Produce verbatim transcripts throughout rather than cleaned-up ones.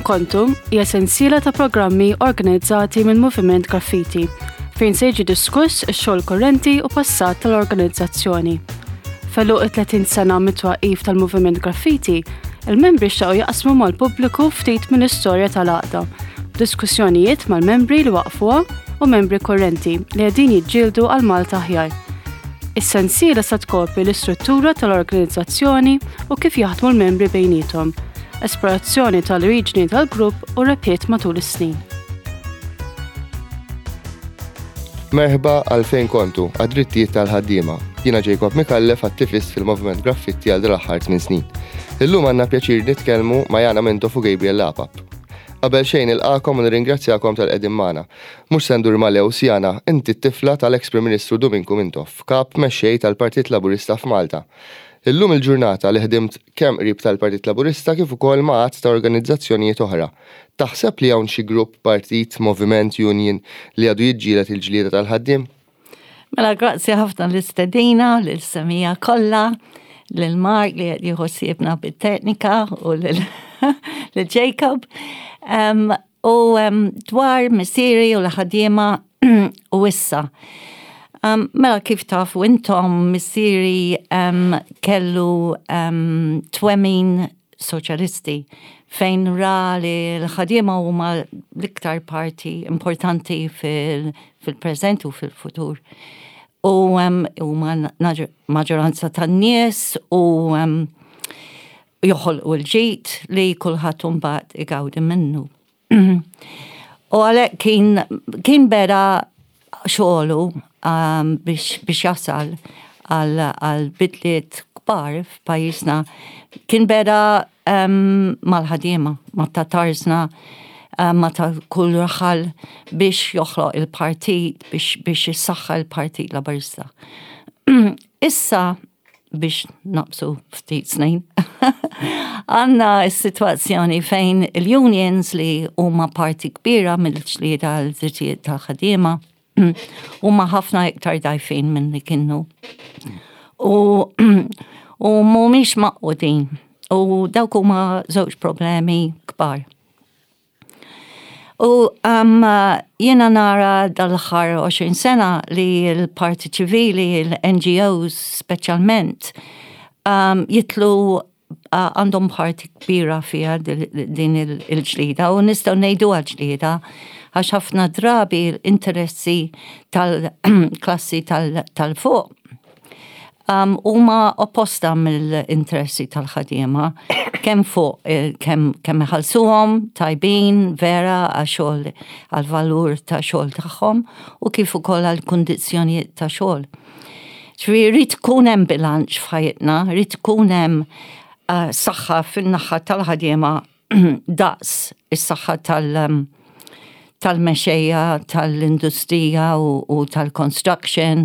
Kontu hija sensiela ta' programmi organizzati minn Moviment Graffiti fejn se jiġi diskuss ix-xogħol korrenti u passat tal-organizzazzjoni. F'għeluq it-tletin sena mit-twaqqif tal-Moviment Graffiti, il-membri xtaqu jaqsmu mal-pubbliku ftit mill-istorja tal-għaqda, diskussjonijiet mal-membri li waqfuha u membri korrenti li qegħdin jiġġieldu għal Malta aħjar. Is-sensiela sa tkopri l-istruttura tal-organizzazzjoni u kif jaħdmu l-membri bejniethom, esplorazzjoni tal-oriġini tal-grupp u rebħiet matul is-snin. Merħba għal Fejn Kontu, għad-drittijiet tal-ħaddiema. Jiena Jacob Micallef, attivist fil-Moviment Graffitti għal dal-aħħar tmien snin. Illum għandna pjaċir nitkellmu ma' Yana Mintoff u Gabriel Apap. Qabel xejn nilqakom u nirringrazzjakom tal-qegħdin magħna. Mhux se ndur mal-ews, Yana, inti t-tifla tal-eks Prim Ministru Duminku Mintoff, kap mexxej tal-Partit Laburista f'Malta. Illum il-ġurnata li ħdimt kemm qrib tal-Partit Laburista kif ukoll ma' għadd ta' organizzazzjonijiet oħra. Taħseb li hawn xi grupp, partit, moviment, union li għadu jiġġieled il-ġlieda tal-ħaddiem? Mela grazzi ħafna l-istedina, l-semija kollha, lil Mark li qed jieħu ħsiebna bit-teknika u lil Jacob. Um, u um, dwar missieri u l-ħaddiema u issa. Um, mela kif tafu intom, missieri um, kellu um, twemmin soċjalisti fejn ra li l-ħaddiema huma l-iktar parti importanti fil-preżent u fil-futur. U huma maġġoranza tan-nies u um, joħolqu l-ġid li kulħadd imbagħad igawdi minnu. U għalhekk kien, kien beda xogħlu um, biex, biex jasal għal, għal bidliet kbar f'pajjiżna. Kien beda um, mal-ħaddiema, ma' ta' tarzna, um, ma' ta' kull raħal biex joħloq il-partit, biex, biex jissaħħa il-Partit Laburista. Issa, biex naqbżu ftit snin, għandna s-situazzjoni fejn il-unions, li huma parti kbira mill-ġlieda għal drittijiet tal-ħaddiema, huma ħafna iktar dgħajfin minn li kienu. U, u mhumiex magħqudin. U dawk huma żewġ problemi kbar. U um, jiena nara dal-aħħar għoxrin sena li l-parti ċivili, l-N G Os speċjalment, um, jitlu uh, għandhom parti kbira fija din il-ġlida u nistgħu ngħidu ġlida għax ħafna drabi l-interessi tal-klassi tal-fuq um, huma opposta mill-interessi tal-ħaddiema, kemm fuq eh, kemm kemm iħallsuhom tajbin vera għax-xogħol, għal-valur ta' xogħol tagħhom u kif ukoll għall-kundizzjonijiet ta' xogħol. Ġifieri jrid ikun hemm bilanċ f'ħajjitna, jrid ikun hemm uh, saħħa fin-naħa tal-ħaddiema daqs is-saħħa tal- um, tal-mexxejja tal-industrija u, u tal-construction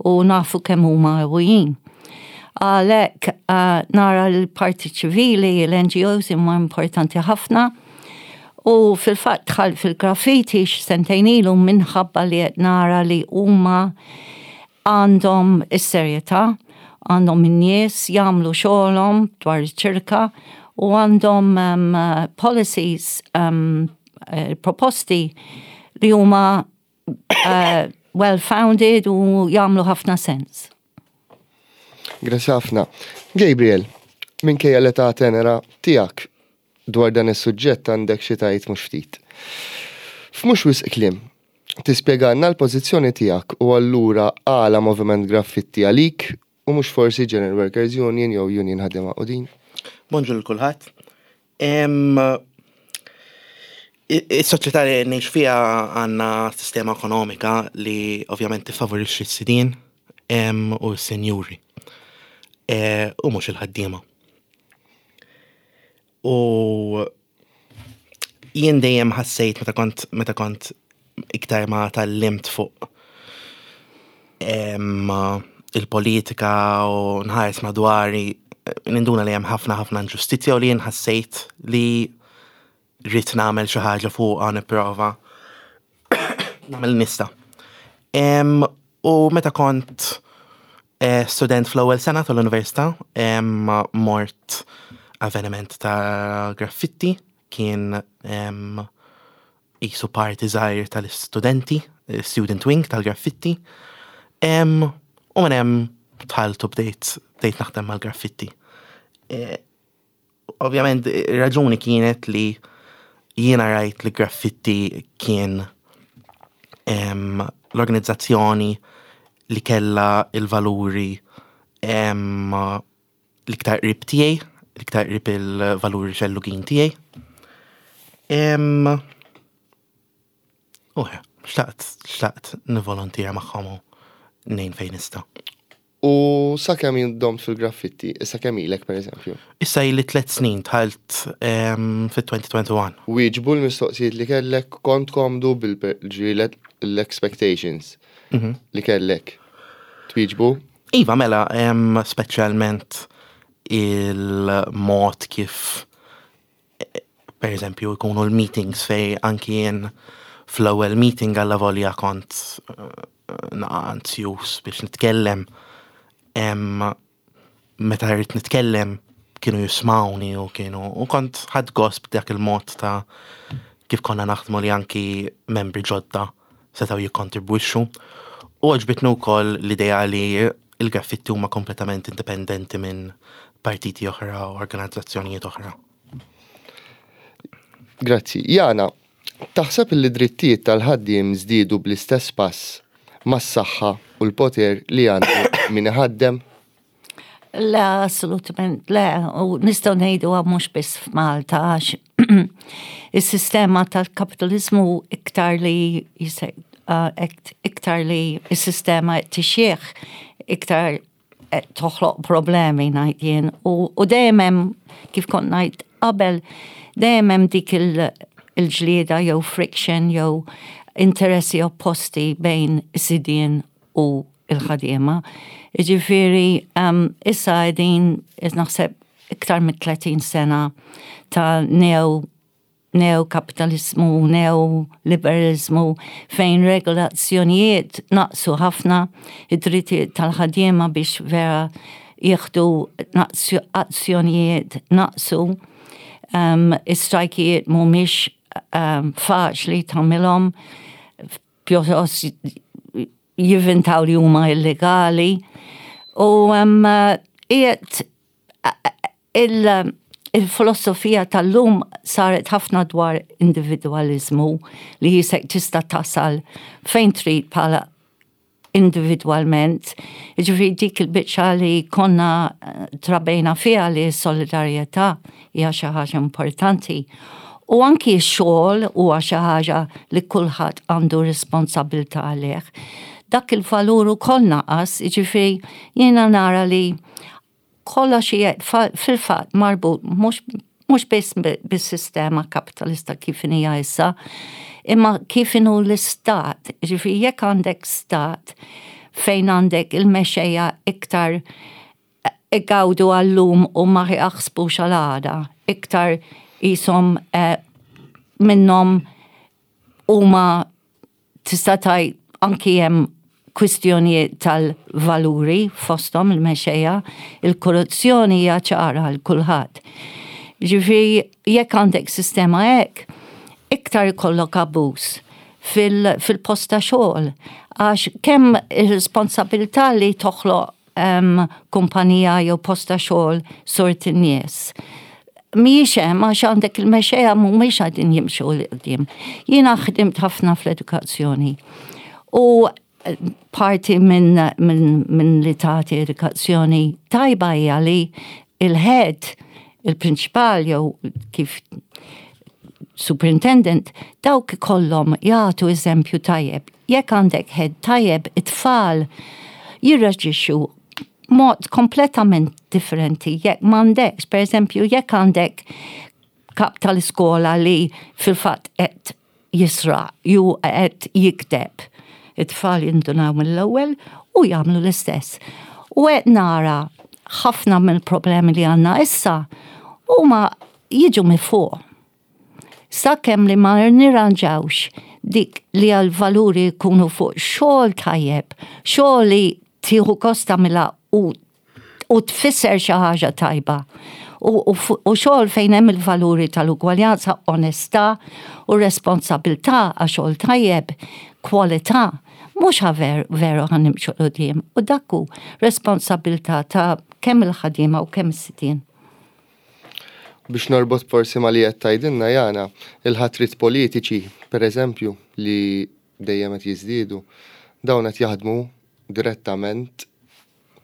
u nafu kemm huma qawwijin. Għalhekk uh, nara l-parti ċivili, l-N G Os huma importanti ħafna u fil-fatt dħalt fil-graffiti sentejn ilu minħabba li qed nara li huma għandhom is-serjetà, għandhom in-nies jagħmlu xogħolhom dwar iċ-ċirka u għandhom um, policies, um, eh, proposti li huma uh, well-founded u jagħmlu ħafna sens. Grazzi ħafna. Gabriel, minkejja l-età tenera tiegħek, dwar dan is-suġġett għandek xi tgħid mhux ftit. F'mhux wisq kliem, tispjegalna l-pożizzjoni tiegħek u allura għala Moviment Graffitti għalik u mhux forsi General Workers Union jew Union Ħaddiema Magħqudin? Bonġu lil kulħadd. Is-soċjetà li ngħix fiha għandna sistema ekonomika li ovvjament tiffavorixxi s-sidien u s-senjuri. E, u mhux il-ħaddiema. U jien dejjem ħassejt meta kont meta kont iktar ma tgħallimt fuq il-politika u nħares madwari, ninduna li hemm ħafna ħafna inġustizzja u li jien ħassejt li rrid nagħmel xi ħaġa fuqha, nipprova nagħmel nista. U meta kont eh, student fl-ewwel sena tal-università, mort avveniment ta' graffitti. Kien qisu parti żgħir tal-istudenti, student wing tal-Graffitti. U minn hemm dħalt u bdejt bdejt naħdem mal-Graffitti. E, ovvjament, raġuni kienet li jiena rajt li Graffitti kien l-organizzazzjoni li kella il-valuri l-iktar qrib tiegħi, l-iktar qrib il-valuri xellugin tiegħi. U xtaqt, xtaqt nivolontira magħhom u ngħin fejn nista'. U sa kemm domt fil-Graffitti, issa kemm ilek, per eżempju? Issa ili tliet snin, dħalt fit-elfejn u wieħed u għoxrin. Wieġbu l-mistoqsijiet li kellek, kont komdu bil-ġrilet l-expectations mhm. li kellek? Twieġbu? Iva, mela, speċjalment il-mod kif, per eżempju, jkunu l-meetings, fej anki jien fl-ewwel meeting għalla volja kont eh, naqa anzjus biex nitkellem. Meta rrid nitkellem kienu jismawni u kienu u kont ħadt gost dak il-mod ta' kif konna naħdmu, li anki membri ġodda setgħu jikkontribwixxu. U għoġbitni wkoll l-idea li il-Graffitti huma kompletament indipendenti minn partiti oħra u organizzazzjonijiet oħra. Grazzi. Jana, taħseb li drittijiet tal-ħaddiem żdiedu bl-istess pass mas-saħħa u l-poter li għandu min iħaddem? Le, assolutament le, u nistgħu ngħidu mhux biss f'Malta, għax is-sistema tal-kapitalizmu iktar li iktar li is-sistema tixjieħ, iktar toħloq problemi, ngħid jien. U dejjem hemm, kif kont ngħid qabel, dejjem hemm dik il-ġlieda jew friction jew interessi opposti bejn is-sidien u il-ħadiema. Ġifieri, um, issa qegħdin, naħseb, iktar mit tletin sena ta' neo neo-kapitalizmu, neo-liberalizmu, fejn regolazzjonijiet naqsu ħafna, id-drittijiet tal-ħadiema biex vera jieħdu azzjonijiet naqsu, um, is-strajkijiet mhumiex um, faċli tagħmilhom, pjuttost jivvintaw li huma illegali. U um, qiegħed il- il-filosofija tal-lum saret ħafna dwar individualizmu, li jisek tista' tasal fejn trid bħala individualment. Ġifieri dik il-biċċa li konna eh, trabejna fiha, li solidarjetà hija xi ħaġa importanti. U anki x-xogħol huwa xi ħaġa li kulħadd għandu responsabilità għalih. Dak il-valur ukoll naqas, ġifieri jiena nara li kollox fil-fatt marbut mhux biss bis-sistema kapitalista kif hija issa, imma kif inhu l-istat. Ġifieri jekk għandek stat fejn għandek il-mexxejja iktar igawdu għal-lum u ma jaħsbux għal-għada, iktar jisom eh, minnhom huma, tista' tgħid anki hemm kwistjonijiet tal-valuri fosthom il-mexxejja, il-korruzzjoni hija ċara għal kulħadd. Ġifieri jekk għandek sistema hekk, iktar ikollok abbuż fil-post ta' xogħol. Għax kemm ir-responsabilità li toħloq um, kumpanija jew post ta' xogħol sort in-nies mhijiex hemm, għax għandek il-mexxejja mhumiex qegħdin jimxu 'l quddiem. Jiena ħdimt ħafna fl-edukazzjoni. U parti minn min, min li tagħti edukazzjoni tajba hija li il-head, il-prinċipal jew kif superintendent, dawk kollhom jagħtu eżempju tajjeb. Jekk għandek head tajjeb, it-tfal jirreġixxu mod kompletament differenti. Jekk m'għandekx, per eżempju, jekk għandek kap tal-iskola li fil-fatt qed jisraq, jew qed jikdeb, it-tfal jindunaw mill-ewwel u jagħmlu l-istess. U qed nara ħafna mill-problemi li għandna issa huma jiġu minn fuq. Sakemm li ma nirranġawx dik li għal-valuri jkunu fuq xogħol tajjeb, xogħol li tieħu gost tagħmilha u, u tfisser xi ħaġa tajba. U, u, u xogħol fejn hemm il-valuri tal-ugwaljanza, onestà u responsabilità għax xogħol tajjeb, kwalità, mhux ver, veru ħa nimxu 'l quddiem. U dak hu responsabilità ta' kemm il-ħaddiema u kemm is-sidien. Biex norbot forsi ma li qed tgħidilna Jana, il-ħatrit politiċi, per eżempju, li dejjem qed jiżdiedu, dawn qed jaħdmu direttament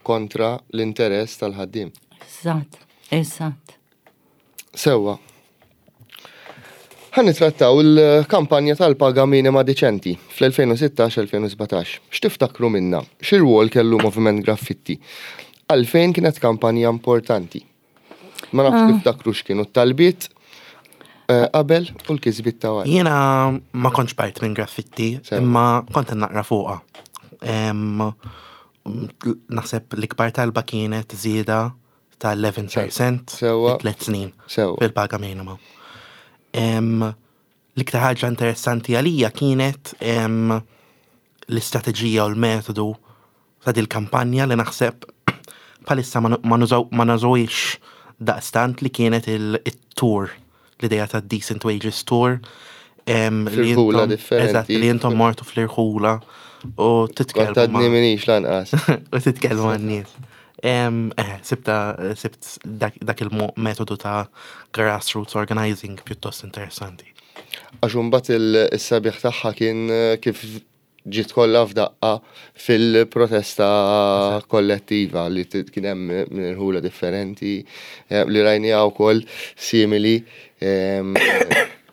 kontra l-interess tal-ħaddiem. Eżatt, eżatt. Sewwa. Ħa nittrattaw il-kampanja tal-paga minima diċenti fl-elfejn u sittax-elfejn u sbatax. X'tiftakru minna? X'irwol kellu Moviment Graffitti? Għalfejn kienet kampanja importanti? Ma nafx tiftakru x'kienu t-talbiet eh, qabel u l-kisbiet ta' wara. Jiena ma kontx part minn Graffitti, Sewa. imma kont naqra fuqha. Em, Naħseb l-ikbar talba kienet żieda ta' għaxra fil-mija Sewa. fi tliet snin Sewa. fil-paga minima. Em, L-iktar ħaġa interessanti għalija kienet em, l-istrateġija u l-metodu ta' dil-kampanja li naħseb bħalissa ma ma nużaw- ma nużawix daqstant, li kienet il-tour, l-ideja ta' Decent Wages Tour. em, li Fl-irħula intom- differenti. Eżatt, li intom mortu fl-irħula u Kont titkellmu għadni ma' minix lanqas. u titkellmu man-nies. Em, Eh, sibta, sibt dak, dak il-metodu ta' grassroots organizing pjuttost interessanti. Għax imbagħad il-sabiħ tagħha kien eh, kif ġiet kollha f'daqqa fil-protesta kollettiva li t- kien hemm minn irħula differenti eh, li rajniha wkoll simili em,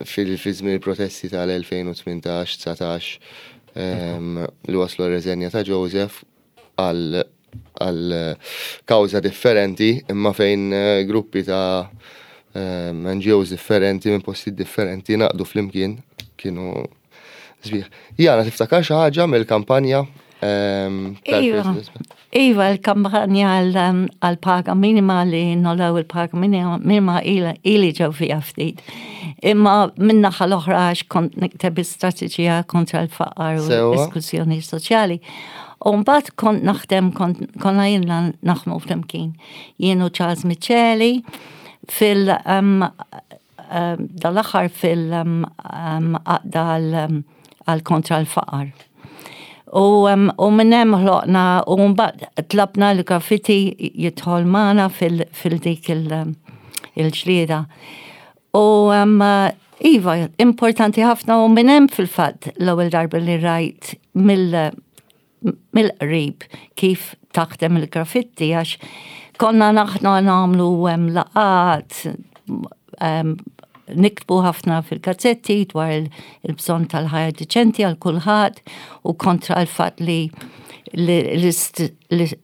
fil fi żmien il-protesti tal-elfejn u tmintax-dsatax em, li waslu r-reżenja ta' Joseph għal għal kawża differenti, imma fejn eh, gruppi ta' em, N G Os differenti minn posti differenti ngħaqdu flimkien, kienu sbieħ. Jana, tiftakar xi ħaġa mill-kampanja em, Iva, tal-President? Iva, il-kampanja għal-paga minima, li ngħollew il-paga minima minima ili ili ġew fija ftit. Imma min-naħa l-oħra għax kont nikteb istrateġija kontra l-faqar u Sewa. l-esklużjoni soċjali. U mbagħad kont naħdem, kont konna ilna naħdmu flimkien. Jien u Charles Miceli fil um, um, dal-aħħar fil-għaqda għal kontra l-faqar. U, um, u minn hemm ħloqna u mbagħad tlabna l-Graffiti jidħol magħna fil- fil-dik il- il-ġlieda. U um, iva, importanti ħafna, u minn hemm fil-fatt l-ewwel darba li rajt mill mill-qrib kif taħdem il-Graffitti, għax konna naħna nagħmlu um, laqgħat, um, niktbu ħafna fil-gazzetti dwar il- il-bżonn tal-ħajja diċenti għal kulħadd u kontra l-fatt li li- l-ist- li-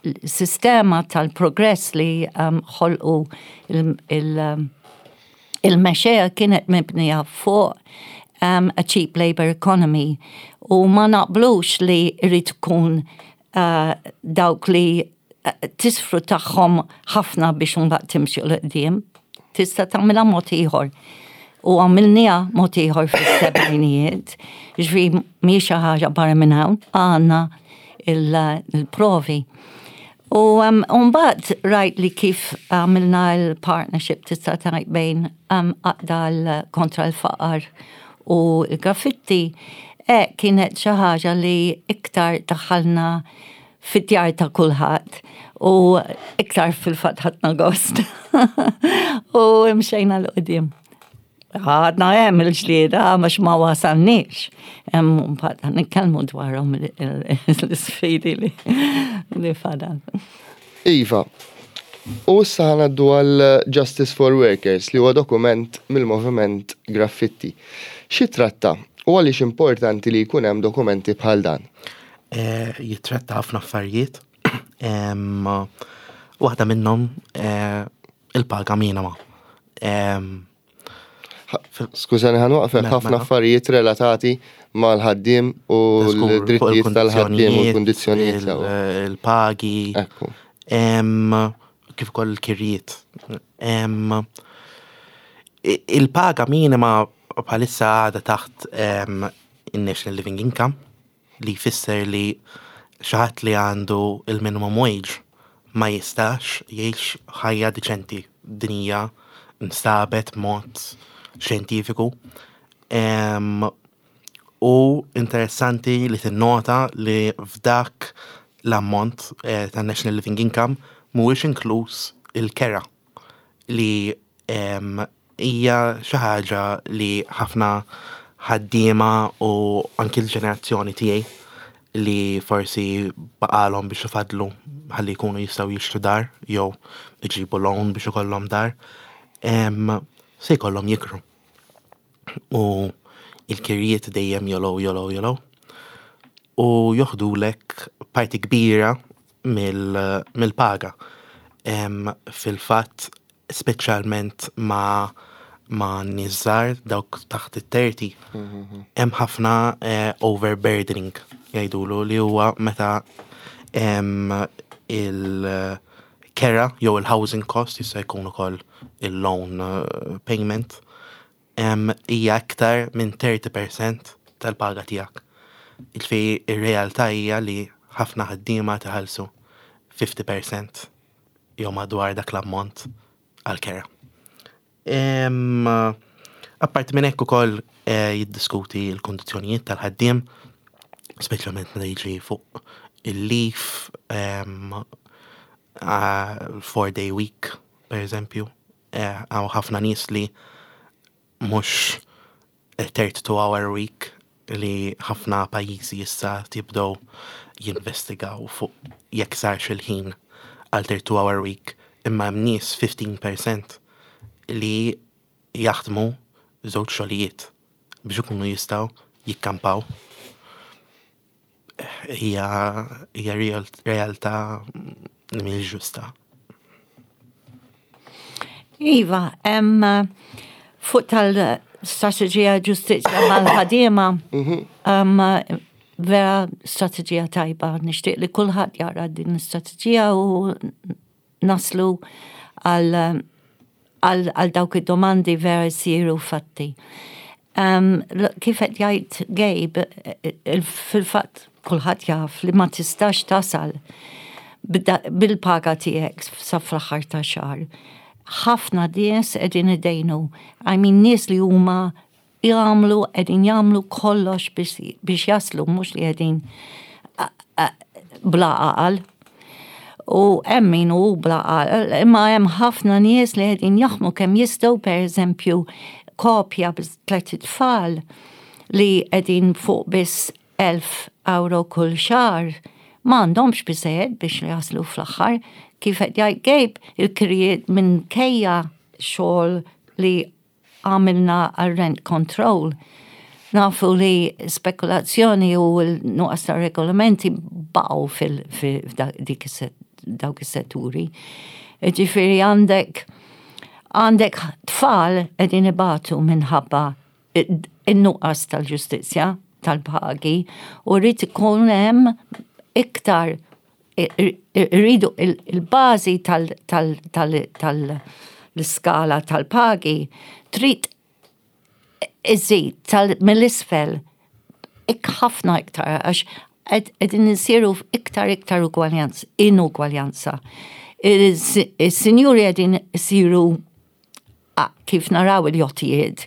l-sistema tal-progress li um, ħolqu il- il- um, il-mexxejja kienet mibnija fuq um, a cheap labor economy u ma naqblux li jrid ikun uh, dawk li uh, tisfruttahom ħafna biex mbagħad timxi 'l quddiem. Tista' tagħmilha mod ieħor. U għamilniha mod ieħor fis-sebgħinijiet. Ġifieri mhix xi ħaġa barra minn hawn, għandna il-provi. U um, mbagħad rajt li kif għamilna l-partnership, tista' tgħid, bejn um, għaqda l- kontra l-faqar u l-Graffitti, e kienet xi ħaġa li iktar daħalna fid-djar ta' kulħadd u iktar fil-fatt ħadna gost. U mxejna 'l quddiem. Għadna hemm il-ġlieda għax ma wasalniex. Hemm mbagħad nitkellmu dwarhom l-isfidi li li fadal. Iva, u issa ħa ngħaddu għal Justice for Workers, li huwa dokument mill-Moviment Graffitti. X'jittratta u għaliex importanti li jkun hemm dokumenti bħal dan? Eh, Jitratta ħafna affarijiet. Em, Waħda minnhom eh, il-paga minima. Em, Skużani, ħa nwaqfek. Mela, Ħafna mela. affarijiet relatati mal-ħaddiem u Żgur, fuq l-drittijiet tal-ħaddiem u l-kundizzjonijiet il- sewa. Il-pagi, Ekku. em, kif ukoll il-kirjiet. Em, i- Il-paga minima bħalissa għadha taħt em, il-National Living Income, li jfisser li xi ħadd li għandu il-minimum wage ma jistax jgħix ħajja diċenti Din hija nstabet mod xjentifiku. Em, u interessanti li tinnota li f'dak l-ammont eh, ta' National Living Income mhuwiex inkluż il-kera, li em, hija xi ħaġa li ħafna ħaddiema u anki l-ġenerazzjoni tiegħi li forsi baqalhom biex ifadlu ħalli jkunu jistgħu jixtru dar jew iġibu loan biex ikollhom dar, em, se jkollhom jikru. U il-kirjiet dejjem jogħlew, jogħlew, jogħlew. U joħdulek parti kbira mill- mill-paga. Em, Fil-fatt, speċjalment ma' ma' nies żgħar, dawk taħt it-thirty, hemm ħafna eh, overburdening jgħidulu, li huwa meta em, il-kera jew il-housing cost, jista' jkun ukoll il-loan eh, payment, em, hija aktar minn thirty percent tal-paga tiegħek. Il-fi ir-realtà hija li ħafna ħaddiema tħallsu fifty percent jew madwar dak l-ammont għal-kera. Em, Apparti minn hekk ukoll eh, jiddiskuti l-kondizzjonijiet tal-ħaddiem, speċjalment meta jiġi fuq il-leave, em, ah, four day week, per eżempju. Eh, Hawn ħafna nies li mhux thirty-two hour week, li ħafna pajjiżi issa tibdew jinvestigaw fuq jekk sarx il-ħin għal thirty-two hour week, imma hemm nies, fifteen percent, li jaħdmu żewġ xogħlijiet biex ikunu jistgħu jikkampaw. Hija hija real- realtà li mhijiex ġusta. Iva, em, fuq tal-strategija ġustizzja mal-ħaddiema, em, vera strategija tajba. Nixtieq li kulħadd jara din l-istrateġija u naslu għal għal għal dawk id-domandi vera jsiru fatti. Um, kif qed jgħid Gabe, il- fil-fatt kulħadd jaf li ma tistax tasal bida- bil-paga tiegħek sa fl-aħħar ta' xahar. Ħafna nies qegħdin idejnu. I mean, nies li huma jagħmlu qegħdin jagħmlu kollox biex, biex jaslu, mhux li qegħdin a- a- bla għaqal. U hemm min hu bla għaqal, imma hemm ħafna nies li qegħdin jaħdmu kemm jistgħu. Pereżempju, kopja bi tliet tfal li qegħdin fuq biss elf euro kull xahar, ma għandhomx biżejjed biex jaslu fl-aħħar. Kif qed jgħid Gabe, il-kirjiet, minkejja xogħol li għamilna għal rent control, nafu li spekulazzjoni u l-nuqqas ta' regolamenti baqgħu fil-dik dawk is-setturi. Ġifieri għandek għandek tfal qegħdin ibatu minħabba in-nuqqas tal-ġustizzja tal-pagi u rrid ikun hemm iktar, irridu il-bażi tal-iskala tal-pagi trid iżid tal mill-isfel ik ħafna iktar, għax qegħdin insiru iktar iktar ugwaljanza, inugwaljanza. Is-sinjuri qegħdin isiru, kif naraw il-jottijiet,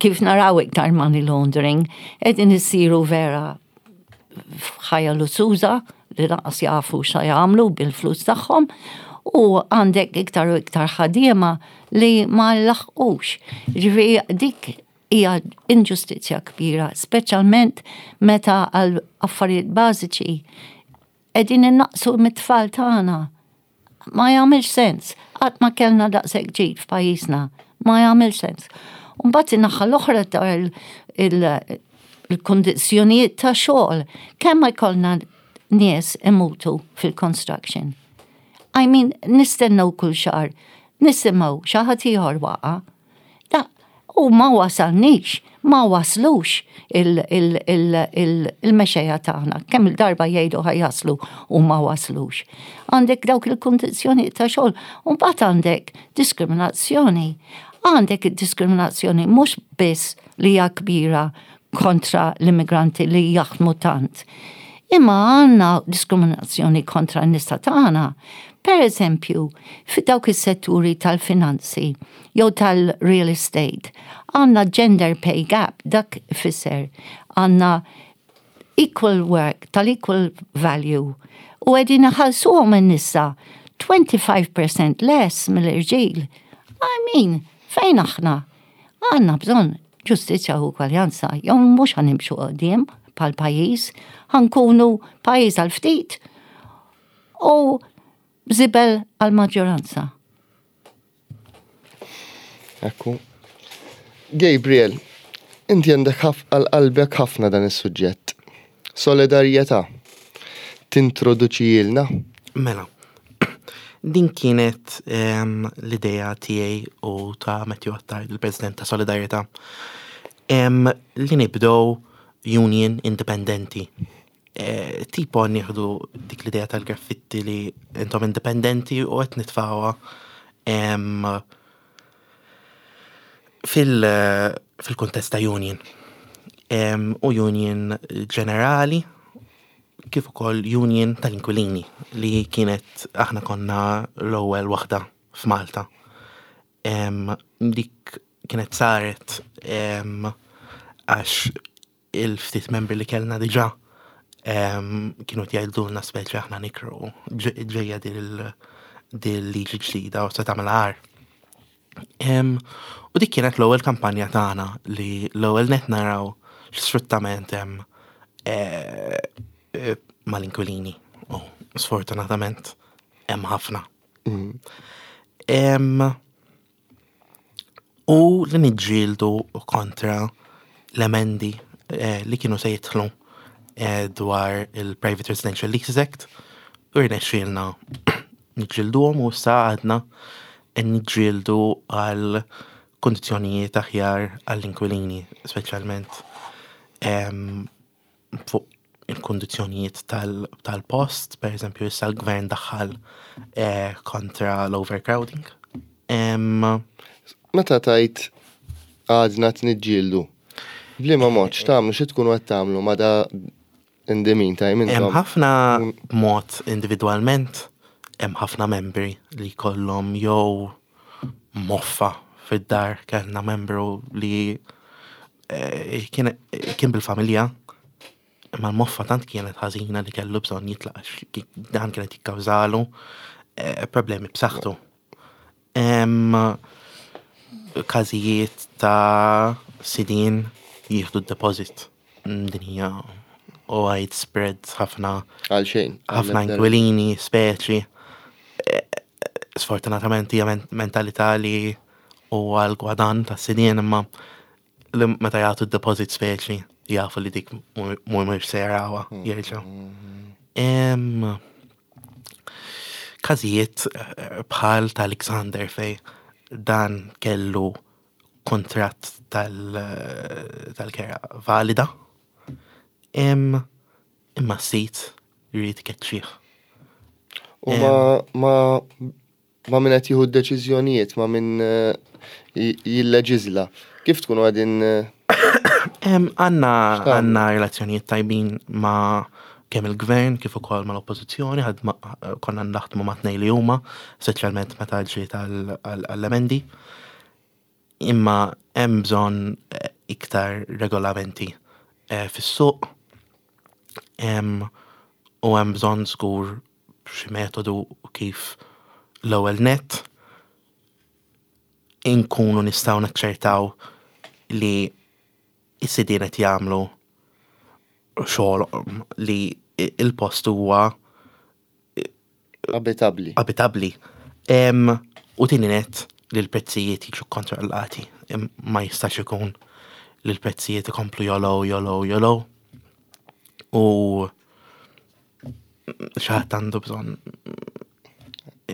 kif naraw iktar money laundering, qegħdin isiru vera f'ħajja lussuża li lanqas jafu xa jagħmlu bil-flus tagħhom, u għandek iktar u iktar ħaddiema li ma laħqux. Ġifieri dik hija inġustizzja kbira, speċjalment meta għal affarijiet bażiċi qegħdin innaqsu mit-tfal tagħna. Ma jagħmilx sens. Qatt ma kellna daqshekk ġid f'pajjiżna. Ma jagħmilx sens. Mbagħad in-naħa l-oħra ta' il-kondizzjonijiet ta' xogħol. Kemm ma jkollna nies imutu fil-construction? I mean, nistennew kull xahar, nisimgħu xi ħadd ieħor waqa'. Da, u ma wasalnix, ma waslux il-mexxejja tagħna. Kemm il-darba jgħidu ħa jaslu u ma waslux. Għandek dawk il-kondizzjoni ta' xogħol, u mbagħad għandek diskriminazzjoni. Għandek diskriminazzjoni mhux biss li hija kbira kontra l-immigranti li jaħdmu tant. Imma għandna diskriminazzjoni kontra n-nisa tagħna. Per eżempju, fi dawk is-setturi tal-finanzi jew tal-real estate, għandna gender pay gap, dak ifisser għandna equal work, tal-equal value, u qegħdin iħallsuhom in-nisa twenty-five percent less mill-irġiel. I mean, fejn aħna? Għandna bżonn ġustizzja u ugwaljanza, jew mhux ħa nimxu quddiem bħal pajjiż, ħa nkunu pajjiż għal ftit u żibel għal maġġoranza. Ekku. Gabriel, inti għandek għal qalbek ħafna dan is-suġġett. Solidarjetà. Tintroduċilna? Mela, din kienet em, l-ideja tiegħi u ta' Matthew Attard, il-President ta' Solidarjetà, em, li nibdew union indipendenti. E, tipo nieħdu dik l-idea tal-graffitti li intom indipendenti u qed nitfgħuha em, fil- fil-kuntest ta' union. Em, u union ġenerali kif ukoll union tal-inkwilini li kienet aħna konna l-ewwel waħda f'Malta. Em, dik kienet saret em, għax il-ftit membri li kellna diġà em, kienu jgħidulna speċi aħna nikru ġ- ġejja dil liġi ġdida u se tagħmel agħar. Em, u dik kienet l-ewwel kampanja tagħna li l-ewwel net naraw x'sfruttament hemm eh, eh, mal-inkwilini. U sfortunatament hemm ħafna. Em, u li niġġieldu kontra l-emendi eh, li kienu se jidħlu eh, dwar il-Private Residential Leases Act u rnexxielna niġġielduhom u issa għadna niġġieldu għal kondizzjonijiet aħjar għall-inkwilini, speċjalment em, fuq il-kondizzjonijiet tal- tal-post, per eżempju, issa l-gvern daħħal eh, kontra l-overcrowding. Em, Meta tajt għadna t-niġġieldu, b'liema mod, x'tagħmlu, xi tkunu qed tagħmlu ma da in the meantime Hemm intom? ħafna mod individwalment, hemm ħafna membri li kollhom jew moffa fid-dar. Kellna membru li eh, kien kien bil-familja, imma l-moffa tant kienet ħażina li kellu bżonn jitlaq għax ki- dan kienet jikkawżalu eh, problemi b'saħħtu. Hemm każijiet ta' sidin jieħdu d-deposit. Din hija widespread ħafna Għal xejn. ħafna inkwilini, speċi. Eh, Sfortunatament hija men- mentalità li huwa l-gwadan ta' sidien, imma li meta jagħtu d-deposit speċi jafu li dik mhux se jarawha jerġgħu. Em, Każijiet eh, bħal ta' Alexander fej dan kellu kontratt tal- tal-kera valida. Em, imma s-sid jrid ikeċċih. U ma ma ma min qed jieħu d-deċiżjonijiet, ma min eh, j- jilleġiżla. Kif tkunu qegħdin eh, Em, Għandna X'tagħmlu? għandna relazzjonijiet tajbin ma' kemm il-gvern kif ukoll mal-oppożizzjoni, ħadma- konna naħdmu ma' tnejn li huma, speċjalment meta ġiet għall- għall- għall-emendi. Imma hemm bżonn eh, iktar regolamenti eh, fis-suq Em, u hemm bżonn żgur xi metodu kif l-ewwel net inkunu nistgħu naċċertaw li is-sidien qed jagħmlu xogħolhom li il-post huwa abitabli? Abitabli. Em, u tieni net li l-prezzijiet jiġu kontrollati. Em, Ma jistax ikun li l-prezzijiet ikomplu jogħlew, jogħlew, jogħlew. U xi ħadd għandu bżonn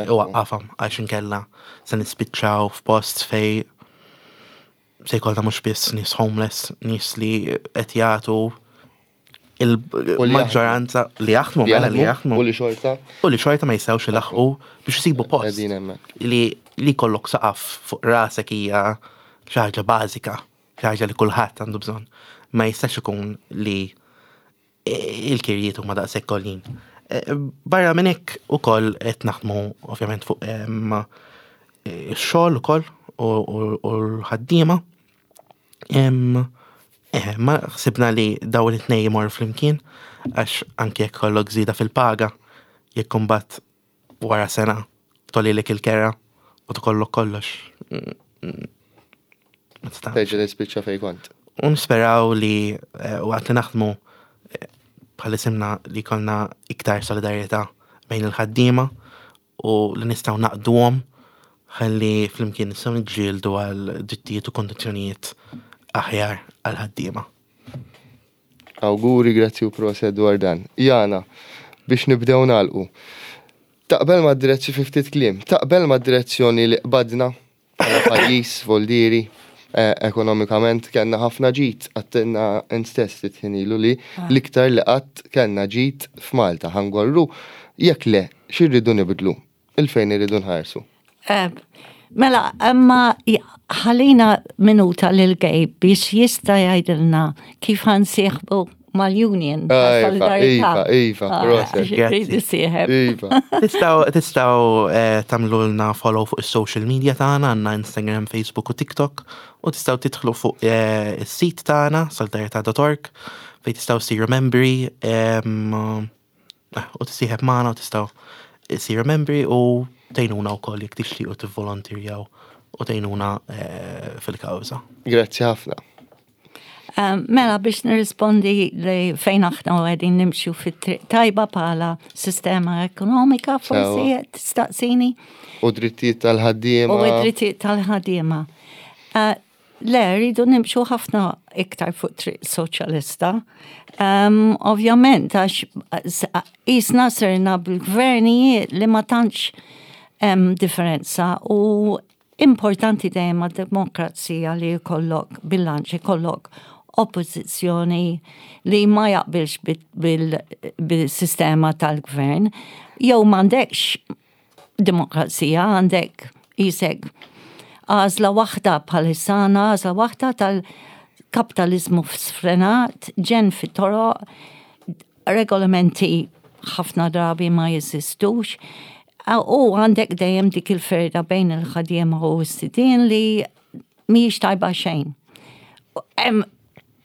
iwaqqafhom għax inkella se nispiċċaw f'post fej se jkollna mhux biss nies homeless, nies li qed jagħtu il-maġġoranza li jaħdmu, mela li jaħdmu. U li xorta U li xorta ma jistgħux ilaħqu biex isibu post. Qegħdin hemmhekk. Li li jkollok saqaf fuq rasek hija xi ħaġa bażika, xi ħaġa li kulħadd għandu bżonn. Ma jistax ikun li il-kirjiet huma daqshekk għoljin. Eh, barra minn hekk ukoll qed naħdmu ovvjament fuq ix-xogħol ukoll u l-ħaddiema. Eh, ma ħsibna li dawn it-tnejn jmorru flimkien għax anke jekk ikollok żieda fil-paga, jekk imbagħad wara sena togħlilek il-kera u tkollok kollox. Mm, mm, Terġa' tispiċċa fejn kont. U nisperaw li eh, waqt li naħdmu eh, bħal isimna li jkollna iktar solidarjetà bejn il-ħaddiema u li nistgħu ngħaqqduhom ħalli flimkien nistgħu niġġieldu għal drittijiet u kondizzjonijiet aħjar għal ħaddiema. Awguri, grazzi u proset dwar dan. Jana, biex nibdew nagħlqu. Taqbel ma' direzzjoni fi ftit kliem, taqbel ma' direzzjoni li qbadna bħala pajjiż voldieri eh, ekonomikament kellna ħafna ġid, għedtilna int stess titħinilu li l-iktar li qatt kellna ġid f'Malta ħa ngorru jekk le, x'irridu nibdlu, il-fejn irridu nħarsu. Eh, Mela, imma ħallina minuta lil Gabe biex jista' jgħidilna kif ħa nsieħbu mal-union. Ah, Iva, Iva, Iva, Ah, proset. Iva. Tistgħu tistgħu eh, tagħmlulna follow fuq is-social media tagħna, għandna Instagram, Facebook u TikTok, u tistgħu tidħlu fuq eh, is-sit tagħna solidarjetà punt org fejn tistgħu siru membri em, eh, u tissieħeb magħna u tistgħu siru membri u tgħinuna wkoll jekk tixtiequ tivvolontirjaw u tgħinuna eh, fil-kawża. Grazzi ħafna. Um, Mela biex nirrispondi li fejn aħna qegħdin nimxu fit-triq tajba bħala sistema ekonomika, forsi Sewa. tistaqsini. U drittijiet tal-ħaddiema. U id-drittijiet tal-ħaddiema. Uh, Le, rridu nimxu ħafna iktar fuq triq soċjalista. Um, ovvjament, għax jisna sirna bil-gvernijiet li ma tantx hemm differenza u importanti dejjem għad-demokrazija li jkollok bilanċ, jkollok oppożizzjoni li ma jaqbilx bil-sistema tal-gvern, jew m'għandekx demokrazija, għandek jisek għażla waħda bħalissa għażla waħda tal-kapitalizmu sfrenat, ġenn fit-toroq, regolamenti ħafna drabi ma jeżistux, u għandek dejjem dik il-ferda bejn il-ħaddiema u s-sidien li mhijiex tajba xejn. Hemm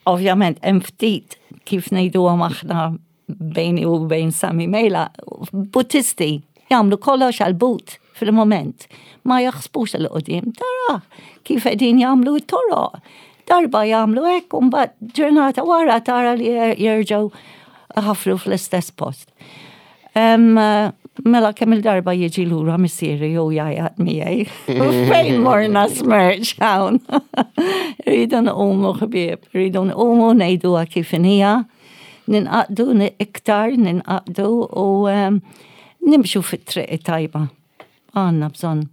ovvjament hemm ftit kif ngħiduhom aħna bejni u bejn Sami Mejla, butisti jagħmlu kollox għal-but fil-moment. Ma jaħsbux 'il quddiem tara kif qegħdin jagħmlu t-toroq. Darba jagħmlu hekk u mbagħad ġurnata wara tara li jerġgħu ħafru fl-istess post. Um, mela kemm il-darba jiġi lura missieri jew jgħajjat miegħi. Fejn morna smerċ hawn. Rridu nqumu ħbieb, rridu nqumu ngħiduha kif inhija, ningħaqdu iktar, ningħaqdu u um, nimxu fit-triq tajba. Għandna bżonn.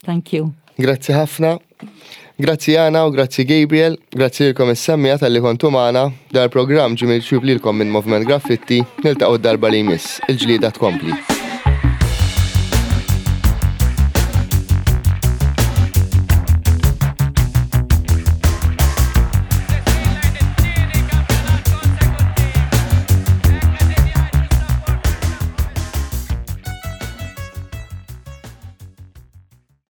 Thank you. Grazzi ħafna. Grazzi Jana u grazzi Gabriel, grazzi lilkom is-semmiegħa talli kontu magħna. Dal-programm ġie miġjub lilkom minn Movement Graffitti, niltaqgħu darba li jmiss, il-ġlieda tkompli.